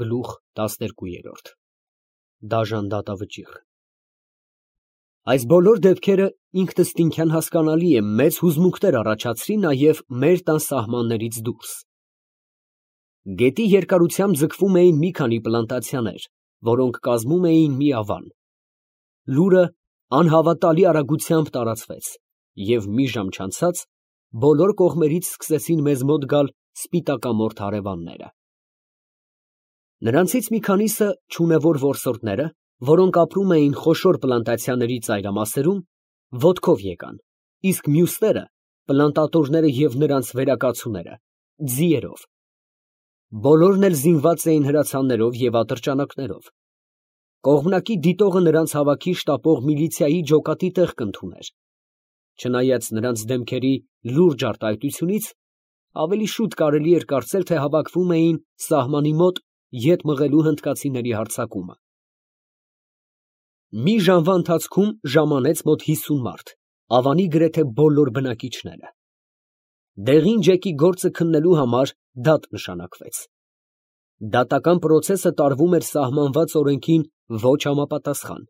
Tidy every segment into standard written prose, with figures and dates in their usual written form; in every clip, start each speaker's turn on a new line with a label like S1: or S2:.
S1: Գլուխ 12 Դաժան դատավճիռ Այս բոլոր դեպքերը ինքնըստինքյան հասկանալի է մեծ հուզմունքներ առաջացրի նաև մեր տան սահմաններից դուրս։ Գետի երկարությամբ ձգվում էին մի քանի պլանտացիաներ, որոնք կազմում էին մի ավան։ Լուրը անհավատալի արագությամբ տարածվեց, և մի ժամ չանցած բոլոր կողմերից սկսեցին մեզ մոտ գալ սպիտակամորթ հարևանները։ Նրանցից մի քանիսը չունևոր որսորդները, որոնք ապրում էին խոշոր պլանտացիաների ծայրամասերում, ոտքով եկան, իսկ մյուսները, պլանտատորները և նրանց վերակացուները, ձիերով։ Բոլորն էլ զինված էին հրացաններով և ատրճանակներով։ Կողմնակի դիտողը նրանց հավաքի շտապող միլիցիայի ջոկատի տեղ կընդուներ։ Չնայած նրանց դեմքերի լուրջ արտահայտությունից, ավելի շուտ կարելի էր կարծել, թե հավաքվում էին սահմանի մոտ ետ մղելու հնդկացիների հարձակումը։ Մի ժամվա ընթացքում ժամանեց մոտ 50 մարդ, ավանի գրեթե բոլոր բնակիչները։ Դեղին ջեկի գործը քննելու համար դատ նշանակվեց։ Դատական պրոցեսը տարվում էր սահմանված օրենքին ոչ համապատասխան,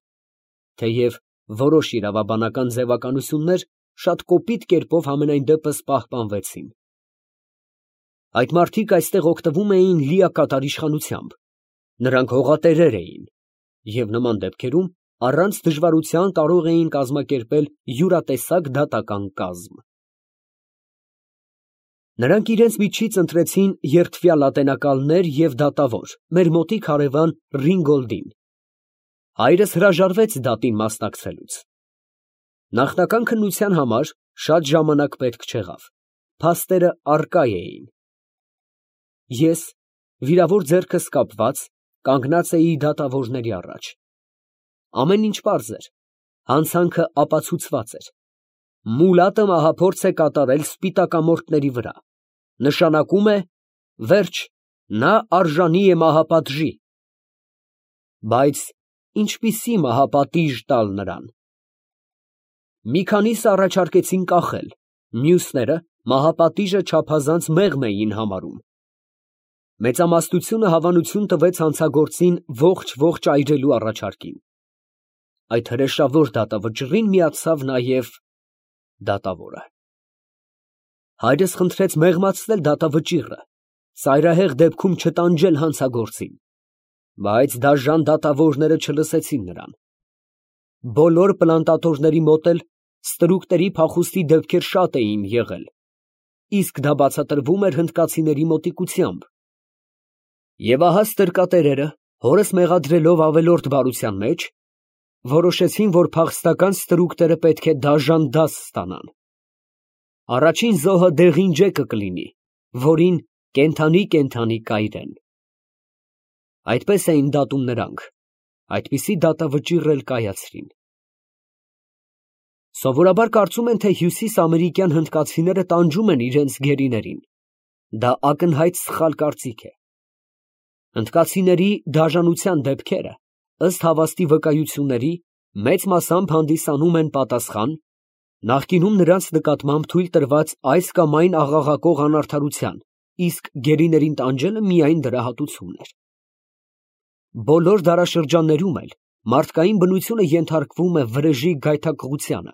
S1: թեև որոշ իրավաբանական ձևականություններ շատ կոպիտ կերպով համենայն դեպս պահպանվեցին։ Այդ մարդիկ այստեղ օգտվում էին լիակատար իշխանությամբ, նրանք հողատերեր էին և նման դեպքերում առանց դժվարության կարող էին կազմակերպել յուրատեսակ դատական կազմ։ Նրանք իրենց միջից ընտրեցին երդվյալ ատենակալներ և դատավոր, մեր մոտիկ հարևան Ռինգոլդին։ Հայրս հրաժարվեց դատին մասնակցելուց։ Նախնական քննության համար շատ ժամանակ պետք չեղավ, փաստերը առկա էին։ Ես, վիրավոր ձեռքս կապված, կանգնած էի դատավորների առաջ։ Ամեն ինչ պարզ էր, հանցանքը ապացուցված էր։ Մուլատը մահափորձ է կատարել սպիտակամորթների վրա, նշանակում է, վերջ, նա արժանի է մահապատժի։ Բայց ինչպիսի մահապատիժ տալ նրան։ Մի քանիսը առաջարկեցին կախել, մյուսները մահապատիժը չափազանց մեղմ էին համարում։ Մեծամասնությունը հավանություն տվեց հանցագործին ողջ այրելու առաջարկին։ Այդ հրեշավոր դատավճռին միացավ նաև դատավորը։ Հայրս խնդրեց մեղմացնել դատավճիռը, ծայրահեղ դեպքում չտանջել հանցագործին, բայց դաժան դատավորները չլսեցին նրան։ Բոլոր պլանտատորների մոտ էլ ստրուկների փախուստի դեպքեր շատ էին եղել, իսկ դա բացատրվում էր հնդկացիների մոտիկությամբ։ Եվ ահա ստրկատերերը, հորս մեղադրելով ավելորդ բարության մեջ, որոշեցին, որ փախստական ստրուկները պետք է դաժան դաս ստանան։ Առաջին զոհը դեղին ջեկը կլինի, որին կենդանի կայրեն։ Այդպես էին դատում նրանք, այդպիսի դատավճիռ էլ կայացրին։ Սովորաբար կարծում են, թե հյուսիսամերիկյան հնդկացիները տանջում են իրենց գերիներին։ Դա ակնհայտ սխալ կարծիք է։ Հնդկացիների դաժանության դեպքերը, ըստ հավաստի վկայությունների, մեծ մասամբ հանդիսանում են պատասխան նախկինում նրանց նկատմամբ թույլ տրված այս կամ այն աղաղակող անարդարության, իսկ գերիներին տանջելը միայն դրա հատուցումն էր։ Բոլոր դարաշրջաններում էլ մարդկային բնությունը ենթարկվում է վրեժի գայթակղությանը։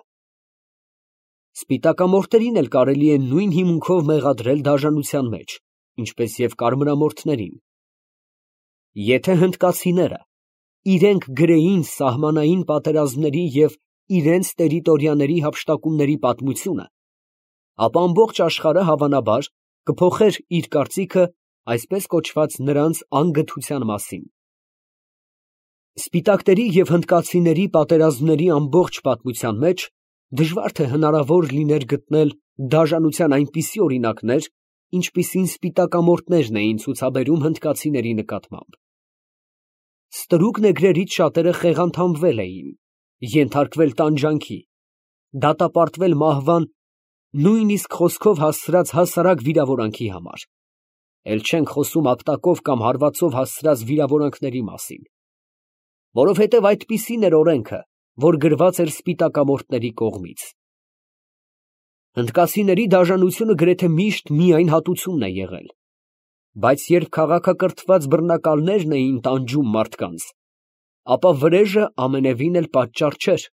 S1: Սպիտակամորթերին էլ կարելի է նույն հիմունքով մեղադրել դաժանության մեջ, ինչպես և կարմրամորթներին։ Եթե հնդկացիները իրենք գրեին սահմանային պատերազմների և իրենց տերիտորիաների հափշտակումների պատմությունը, ապա ամբողջ աշխարհը հավանաբար կփոխեր իր կարծիքը այսպես կոչված նրանց անգթության մասին։ Սպիտակների և հնդկացիների պատերազմների ամբողջ պատմության մեջ դժվար թե հնարավոր լիներ գտնել դաժանության այնպիսի օրինակներ, ինչպիսին սպիտակամորթներն էին ցուցաբերում հնդկացիների նկատմամբ։ Ստրուկ նեգրերից շատերը խեղանթամվել էին, ենթարկվել տանջանքի, դատապարտվել մահվան, նույնիսկ խոսքով հասցրած հասարակ վիրավորանքի համար, էլ չենք խոսում ապտակով կամ հարվածով հասցրած վիրավորանքների մասին, որովհետև այդպիսին էր օրենքը, որ գրված էր սպիտակամորթների կողմից։ Հնդկացիների դաժանությունը գրեթե միշտ միայն հատուցումն է եղել։ բայց երբ քաղաքակրթված բռնակալներն էին տանջում մարդկանց, ապա վրեժը ամենևին էլ պատճառ չէր,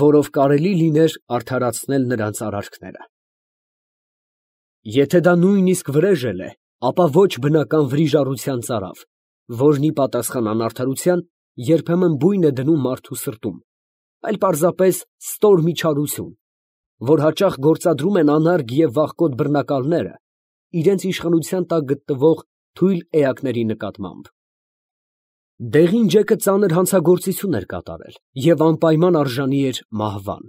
S1: որով կարելի լիներ արդարացնել նրանց արարքները։ Եթե դա նույնիսկ վրեժ էլ է, ապա ոչ բնական վրիժառության ծարավ, որն ի պատասխան անարդարության երբեմն բույն է դնում մարդու սրտում, այլ պարզապես ստոր միջարություն, որ հաճախ գործադրում են անարգ և վախկոտ բռնակալները իրենց իշխանության տակ գտնվող թույլ էակների նկատմամբ։ Դեղին ջեկը ծանր հանցագործություն էր կատարել և անպայման արժանի էր մահվան,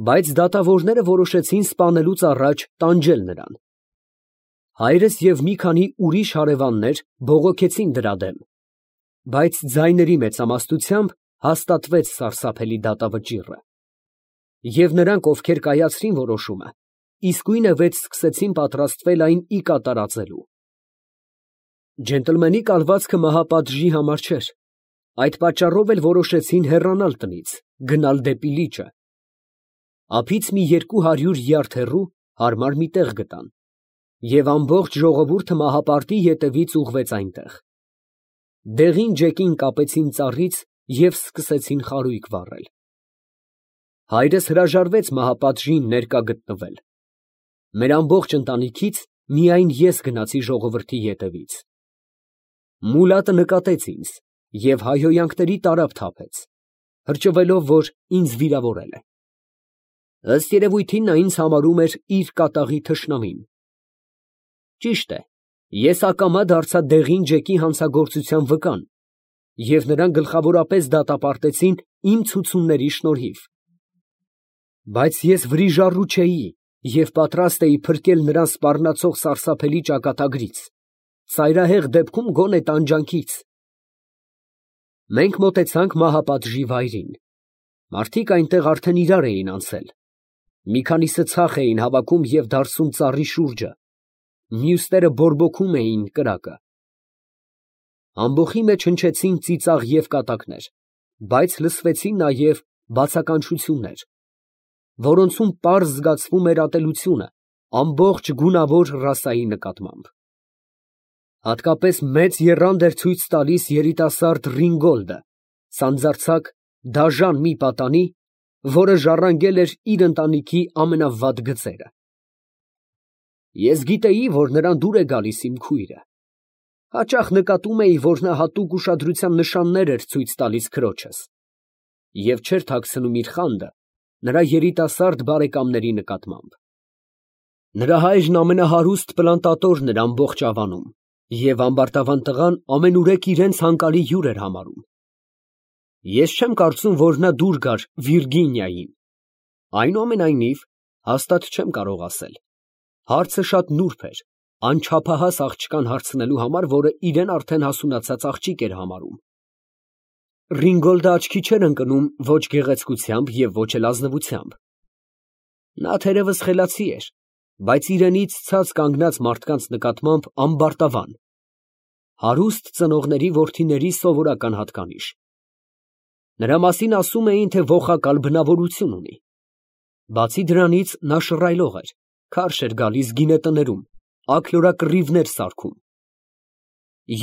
S1: բայց դատավորները որոշեցին սպանելուց առաջ տանջել նրան։ Հայրս և մի քանի ուրիշ հարևաններ բողոքեցին դրա դեմ, բայց ձայների մեծամասնությամբ հաստատվեց սարսափելի դատավճիռը, և նրանք, ովքեր կայացրին որոշումը, իսկույնևեթ սկսեցին պատրաստվել այն ի կատարածելու։ Ջենտլմենի կալվածքը մահապատժի համար չէր, այդ պատճառով էլ որոշեցին հեռանալ տնից, գնալ դեպի լիճը։ Ափից մի 200 յարդ հեռու հարմար մի տեղ գտան, և ամբողջ ժողովուրդը մահապարտի ետևից ուղղվեց այնտեղ։ Դեղին ջեկին կապեցին ծառից և սկսեցին խարույկ վառել։ Հայրս հրաժարվեց մահապատժին ներկա գտնվել։ Մեր ամբողջ ընտանիքից միայն ես գնացի ժողովրդի ետևից։ Մուլատը նկատեց ինձ և հայհոյանքների տարափ թափեց, հրճվելով, որ ինձ վիրավորել է։ Ըստ երևույթին նա ինձ համարում էր իր կատաղի թշնամին։ Ճիշտ է, ես ակամա դարձա դեղին ջեկի հանցագործության վկան, և նրան գլխավորապես դատապարտեցին իմ ցուցումների շնորհիվ։ Բայց ես վրիժառու չէի և պատրաստ էի փրկել նրան սպառնացող սարսափելի ճակատագրից, ծայրահեղ դեպքում գոնե տանջանքից։ Մենք մոտեցանք մահապատժի վայրին։ Մարդիկ այնտեղ արդեն իրար էին անցել։ Մի քանիսը ցախ էին հավաքում և դարսում ծառի շուրջը, մյուսները բորբոքում էին կրակը։ Ամբոխի մեջ հնչեցին ծիծաղ և կատակներ, բայց լսվեցին նաև բացականչություններ, որոնցում պարզ զգացվում էր ատելությունը ամբողջ գունավոր ռասայի նկատմամբ։ Հատկապես մեծ եռանդ էր ցույց տալիս երիտասարդ Ռինգոլդը, սանձարձակ, դաժան մի պատանի, որը ժառանգել էր իր ընտանիքի ամենավատ գծերը։ Ես գիտեի, որ նրան դուր է գալիս իմ քույրը։ Հաճախ նկատում էի, որ նա հատուկ ուշադրության նշաններ էր ցույց տալիս քրոջս և չէր թաքցնում իր խանդը նրա երիտասարդ բարեկամների նկատմամբ։ Նրա հայրն ամենահարուստ պլանտատորն էր ամբողջ Ավանում, և ամբարտավան տղան ամենուրեք իրենց հանկալի հյուր էր համարում։ Ես չեմ կարծում, որ նա դուր գար Վիրգինիային։ Այնուամենայնիվ, հաստատ չեմ կարող ասել։ Հարցը շատ նուրբ էր, անչափահաս աղջկան հարցնելու համար, որը իրեն արդեն հասունացած աղջիկ էր համարում։ Ռինգոլդը աչքի չէր ընկնում ոչ գեղեցկությամբ և ոչ էլ ազնվությամբ։ Նա թերևս խելացի էր, բայց իրենից ցած կանգնած մարդկանց նկատմամբ ամբարտավան, հարուստ ծնողների որդիների սովորական հատկանիշ։ Նրա մասին ասում էին, թե ոխակալ բնավորություն ունի։ Բացի դրանից, նա շռայլող էր, քարշ էր գալիս գինետներում, աքլորակռիվներ սարքում։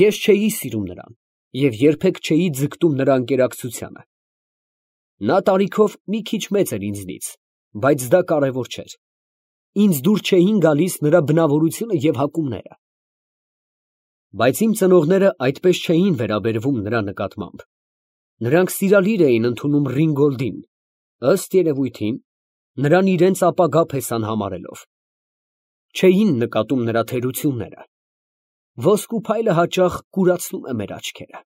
S1: Ես չէի սիրում նրան և երբեք չէի ձգտում նրա ընկերակցությանը։ Նա տարիքով մի քիչ մեծ էր ինձնից, բայց դա կարևոր չէր։ Ինձ դուր չէին գալիս նրա բնավորությունը և հակումները։ Բայց իմ ծնողները այդպես չէին վերաբերվում նրա նկատմամբ։ Նրանք սիրալիր էին ընդունում Ռինգոլդին, ըստ երևույթին, նրան իրենց ապագա փեսան համարելով։ Չէին նկատում նրա թերությունները։ Ոսկու փայլը հաճախ կուրացնում է մեր աչքերը։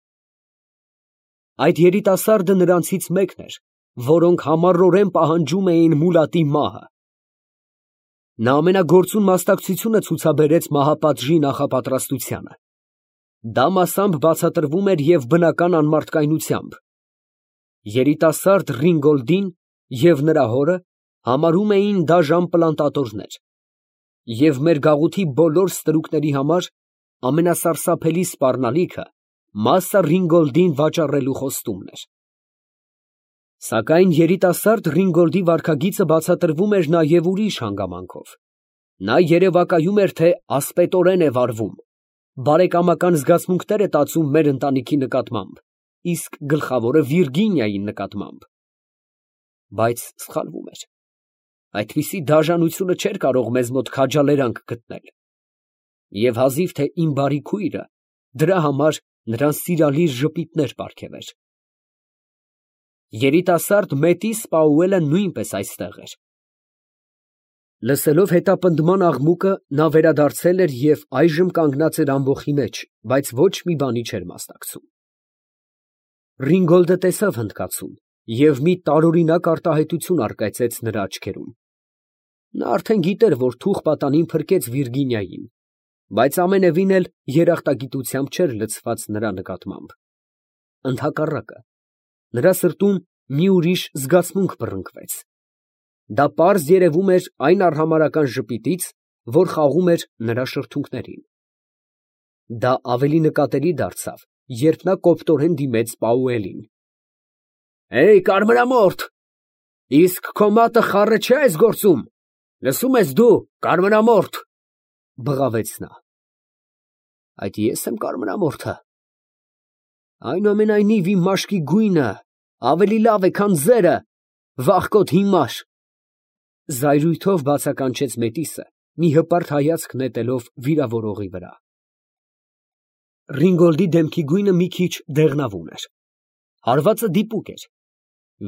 S1: Այդ երիտասարդը նրանցից մեկն էր, որոնք համառորեն պահանջում էին Մուլատի մահը։ Նա ամենագործուն մասնակցությունը ցուցաբերեց մահապատժի նախապատրաստությանը։ Դա մասամբ բացատրվում էր և բնական անմարդկայնությամբ։ Երիտասարդ Ռինգոլդին և նրա հորը համարում էին դաժան պլանտատորներ, և մեր գաղութի բոլոր ստրուկների համար ամենասարսափելի սպառնալիքը Մասսա Ռինգոլդին վաճառելու խոստումն էր։ Սակայն երիտասարդ Ռինգոլդի վարքագիծը բացատրվում էր նաև ուրիշ հանգամանքով. նա երևակայում էր, թե ասպետորեն է վարվում բարեկամական զգացմունքներ է տածում մեր ընտանիքի նկատմամբ, իսկ գլխավորը Վիրգինիայի նկատմամբ։ Բայց սխալվում էր։ Այդպիսի դաժանությունը չէր կարող մեզ մոտ քաջալերանք գտնել։ Եվ հազիվ թե իմ բարի քույրը դրա համար նրան սիրալիր ժպիտներ պարգևեր։ Երիտասարդ Մետիս Պաուելը նույնպես այստեղ էր։ Լսելով հետապնդման աղմուկը, նա վերադարձել էր և այժմ կանգնած էր ամբոխի մեջ, բայց ոչ մի բանի չէր մասնակցում։ Ռինգոլդը տեսավ հնդկացուն և մի տարօրինակ արտահայտություն առկայծեց նրա աչքերում։ Նա արդեն գիտեր, որ թուղ պատանին փրկեց Վիրգինիային, բայց ամենևին էլ երախտագիտությամբ չէր լցված նրա նկատմամբ։ Ընդհակառակը, նրա սրտում մի ուրիշ զգացմունք բռնկվեց։ Դա պարզ երևում էր այն արհամարհական ժպիտից, որ խաղում էր նրա շրթունքներին։ Դա ավելի նկատելի դարձավ, երբ նա կոպտորեն դիմեց Պաուելին։ «Հեյ, կարմրամորթ, իսկ քո մատը խառը չէ՞ այս գործում, լսում ես դու, կարմրամորթ», բղավեց նա։ «Այդ ես եմ կարմրամորթը։ Այնուամենայնիվ իմ մաշկի գույնը ավելի լավ է, քան ձերը, վախկոտ հիմար», զայրույթով բացականչեց Մետիսը, մի հպարտ հայացք նետելով վիրավորողի վրա։ Ռինգոլդի դեմքի գույնը մի քիչ դեղնավուն էր։ Հարվածը դիպուկ էր։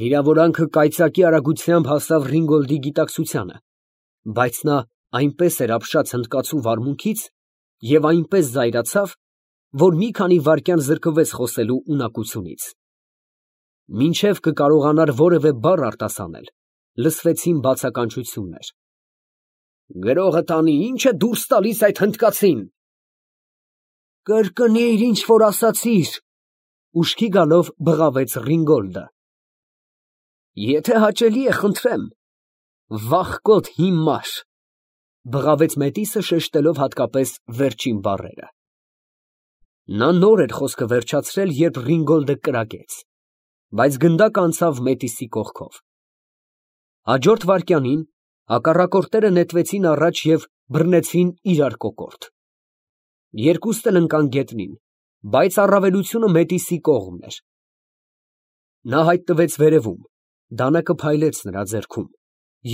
S1: Վիրավորանքը կայծակի արագությամբ հասավ Ռինգոլդի գիտակցությանը, բայց նա այնպես էր ապշած հնդկացու վարմունքից և այնպես զայրացավ, որ մի քանի վայրկյան զրկվեց խոսելու ունակությունից։ Մինչև կկարողանար որևէ բառ արտասանել, լսվեցին բացականչություններ։ «Գրողը տանի, ի՞նչ է դուրս տալիս այդ հնդկացին»։ «Կրկնիր, ինչ որ ասացիր», ուշքի գալով բղավեց Ռինգոլդը։ «Եթե հաճելի է, խնդրեմ, վախկոտ հիմար», բղավեց Մետիսը, շեշտելով հատկապես վերջին բառերը։ Նա նոր էր խոսքը վերջացրել, երբ Ռինգոլդը կրակեց, բայց գնդակը անցավ Մետիսի կողքով։ Հաջորդ վայրկյանին հակառակորդները նետվեցին առաջ և բռնեցին իրար կոկորդ։ Երկուստ էլ ընկան գետնին, բայց առավելությունը Մետիսի կողմն էր։ Նա հայտնվեց վերևում, դանակը փայլեց նրա ձեռքում,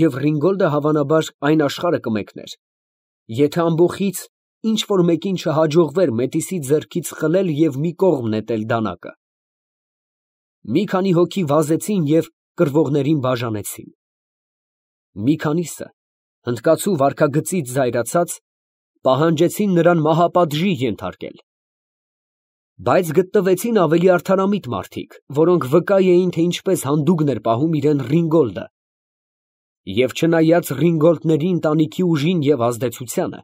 S1: և Ռինգոլդը հավանաբար այն աշխարհը կմեկներ, եթե ամբոխից ինչ որ մեկին չհաջողվեր Մետիսի ձեռքից խլել և մի կողմ նետել դանակը։ Մի քանի հոգի վազեցին և կռվողներին բաժանեցին։ Մի քանիսը, հնդկացու վարքագծից զայրացած, պահանջեցին նրան մահապատժի ենթարկել։ Բայց գտնվեցին ավելի արդարամիտ մարդիկ, որոնք վկա էին, թե ինչպես հանդուգն էր պահում իրան Ռինգոլդը, և չնայած Ռինգոլդների ընտանիքի ուժին և ազդեցությանը,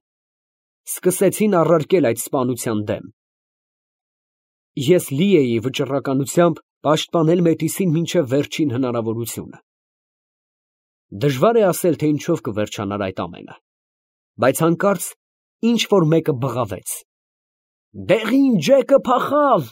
S1: սկսեցին առարկել այդ սպանության դեմ։ Ես լի էի վճռականությամբ պաշտպանել Մետիսին մինչև վերջին հնարավորությունը։ Դժվար է ասել, թե ինչով կվերջանար այդ ամենը, բայց հանկարծ ինչ որ մեկը բղավեց. «Դեղին ջեկը փախավ»։